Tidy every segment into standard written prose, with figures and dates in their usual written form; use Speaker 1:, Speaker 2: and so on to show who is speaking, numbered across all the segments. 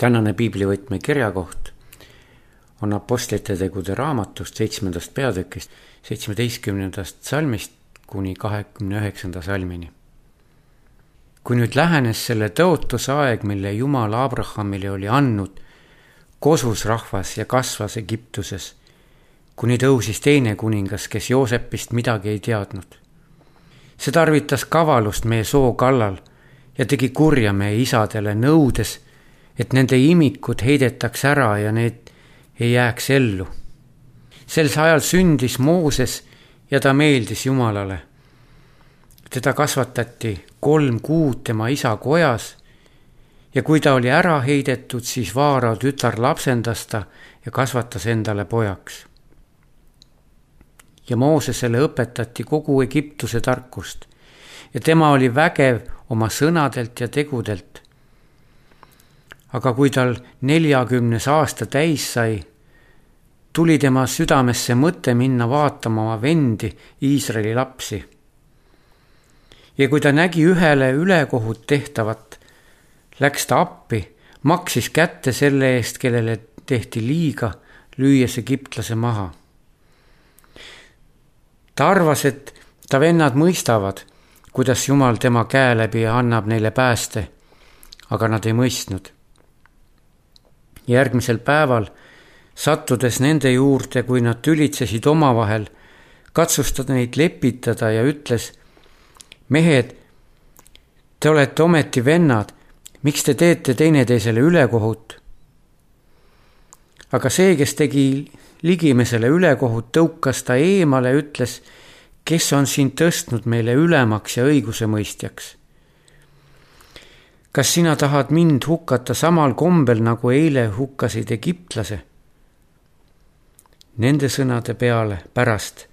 Speaker 1: Tänane piiblivõtme kirjakoht on Apostlite tegude raamatust 7. peatükist 17. salmist kuni 29. salmini. Kui nüüd lähenes selle tõotusaeg, mille Jumal Abrahamile oli andnud, kosus rahvas ja kasvas Egiptuses, kuni tõusis teine kuningas, kes Joosepist midagi ei teadnud. See tarvitas kavalust meie soo kallal ja tegi kurja meie isadele, nõudes, et nende imikud heidetaks ära ja need ei jääks ellu. Sel ajal sündis Mooses ja ta meeldis Jumalale. Teda kasvatati 3 kuud tema isa kojas ja kui ta oli ära heidetud, siis Vaarao tütar lapsendas ta ja kasvatas endale pojaks. Ja Moosesele õpetati kogu Egiptuse tarkust ja tema oli vägev oma sõnadelt ja tegudelt. Aga kui tal 40 aasta täis sai, tuli tema südamesse mõte minna vaatama oma vendi, Iisraeli lapsi. Ja kui ta nägi ühele ülekohut tehtavat, läks ta appi, maksis kätte selle eest, kellele tehti liiga, lüües egiptlase maha. Ta arvas, et ta vennad mõistavad, kuidas Jumal tema käe läbi annab neile pääste, aga nad ei mõistnud. Järgmisel päeval, sattudes nende juurde, kui nad tülitsesid omavahel, katsustas neid lepitada ja ütles: mehed, te olete ometi vennad, miks te teete teineteisele ülekohut? Aga see, kes tegi ligimesele ülekohut, tõukas ta eemale, ütles: kes on siin tõstnud meile ülemaks ja õigusemõistjaks? Kas sina tahad mind hukkata samal kombel, nagu eile hukkasid egiptlase? Nende sõnade peale pärast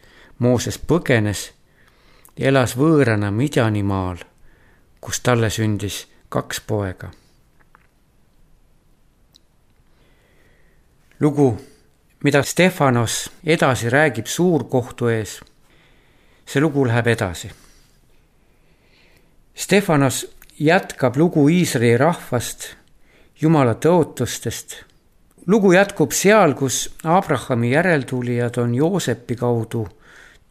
Speaker 1: Mooses põgenes ja elas võõrana Midjanimaal, kus talle sündis 2 poega. Lugu, mida Stefanos edasi räägib suurkohtu ees, see lugu läheb edasi. Stefanos jätkab lugu Iisraeli rahvast, Jumala tõotustest. Lugu jätkub seal, kus Abrahami järeltulijad on Joosepi kaudu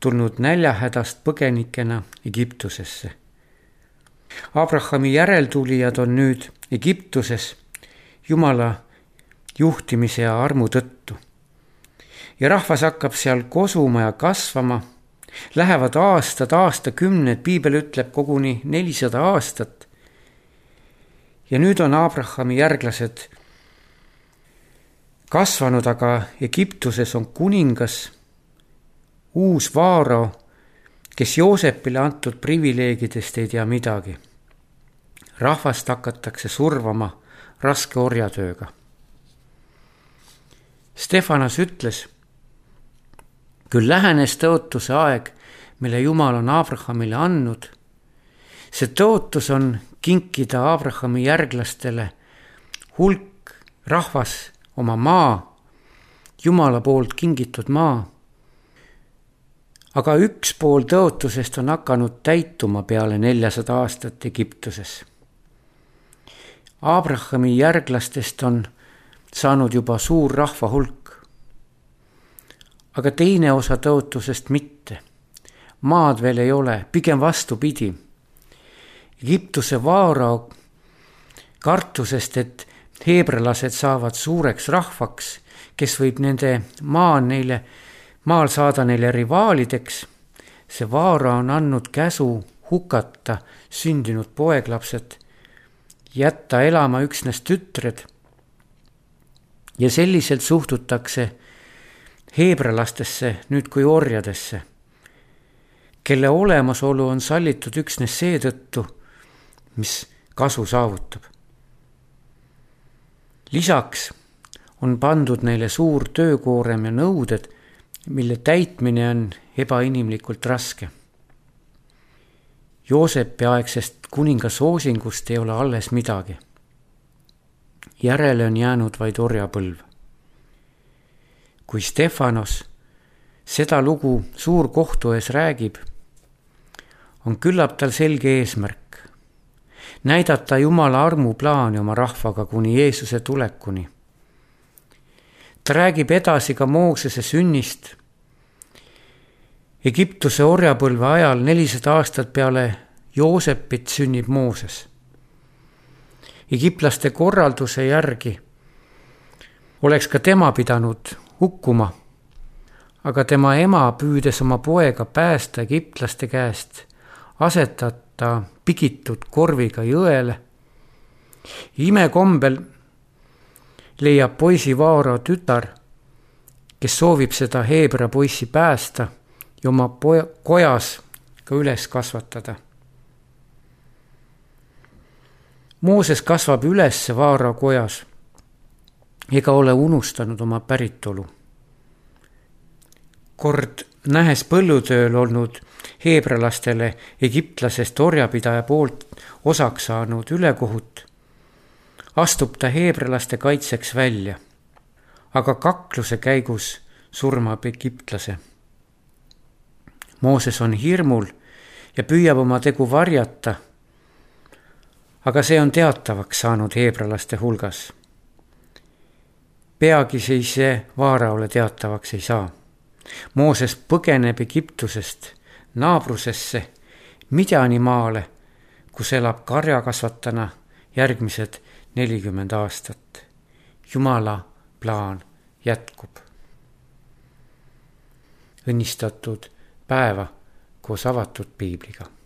Speaker 1: tulnud näljahädast põgenikena Egiptusesse. Abrahami järeltulijad on nüüd Egiptuses Jumala juhtimise ja armu tõttu. Ja rahvas hakkab seal kosuma ja kasvama. Lähevad aastakümned, piibel ütleb koguni 400 aastat. Ja nüüd on Abrahami järglased kasvanud, aga Egiptuses on kuningas, uus Vaarao, kes Joosepile antud privileegidest ei tea midagi. Rahvast hakatakse survama raske orjatööga. Stefanos ütles: küll lähenes tõotuse aeg, mille Jumal on Abrahamile andnud. See tõotus on kinkida Abrahami järglastele hulk rahvas oma maa, Jumala poolt kingitud maa. Aga 1 pool tõotusest on hakanud täituma peale 400 aastat Egiptuses. Abrahami järglastest on saanud juba suur rahva hulk. Aga teine osa tõotusest mitte. Maad veel ei ole, pigem vastupidi. Egiptuse Vaarao kartusest, et heebrelased saavad suureks rahvaks, kes võib nende maal saada neile rivaalideks, see Vaarao on andnud käsu hukata sündinud poeglapsed, jätta elama üksnes tütred. Ja selliselt suhtutakse heebrelastesse nüüd kui orjadesse, kelle olemasolu on sallitud üksnes seetõttu, mis kasu saavutab. Lisaks on pandud neile suur töökoorem ja nõuded, mille täitmine on ebainimlikult raske. Joosepi aegsest kuningasoosingust ei ole alles midagi. Järele on jäänud vaid orjapõlv. Kui Stefanos seda lugu suurkohtu ees räägib, on küllap tal selge eesmärk. näidata Jumala armuplaani oma rahvaga kuni Jeesuse tulekuni. Ta räägib edasi ka Moosese sünnist. Egiptuse orjapõlve ajal 400 aastat peale Joosepit sünnib Mooses. Egiptlaste korralduse järgi oleks ka tema pidanud hukkuma, aga tema ema püüdes oma poega päästa egiptlaste käest, asetata pigitud korviga jõele. Imekombel leiab poisi Vaaro tütar, kes soovib seda Heebra poissi päästa ja oma kojas ka üles kasvatada. Mooses kasvab üles Vaaro kojas ega ole unustanud oma päritolu. Kord nähes põllutööl olnud heebralastele egiptlasest orjapidaja poolt osaks saanud ülekohut, astub ta heebralaste kaitseks välja, aga kakluse käigus surmab egiptlase. Mooses on hirmul ja püüab oma tegu varjata, aga see on teatavaks saanud heebralaste hulgas. Peagi see Vaaraole teatavaks ei saa. Mooses põgeneb Egiptusest naabrusesse Midjani maale, kus elab karjakasvatana järgmised 40 aastat. Jumala plaan jätkub. Õnnistatud päeva koos avatud piibliga.